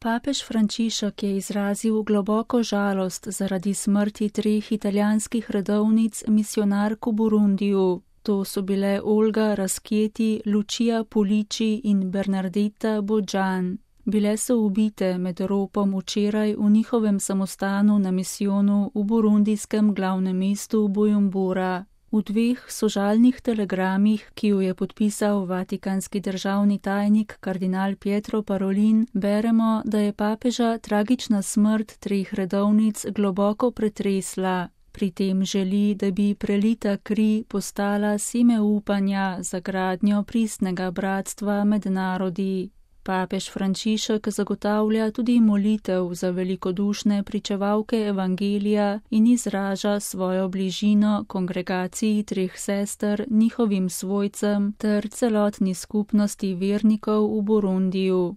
Papež Frančišek je izrazil globoko žalost zaradi smrti 3 italijanskih redovnic misijonark v Burundiju. To so bile Olga Raschietti, Lucia Pulici in Bernardetta Bodjan. Bile so ubite med ropom včeraj v njihovem samostanu na misijonu v burundijskem glavnem mestu Bujumbura. V 2 sožalnih telegramih, ki jo je podpisal vatikanski državni tajnik kardinal Pietro Parolin, beremo, da je papeža tragična smrt 3 redovnic globoko pretresla. Pri tem želi, da bi prelita kri postala seme upanja za gradnjo pristnega bratstva med narodi. Papež Frančišek zagotavlja tudi molitev za velikodušne pričevalke evangelija in izraža svojo bližino kongregaciji 3 sester, njihovim svojcem ter celotni skupnosti vernikov v Burundiju.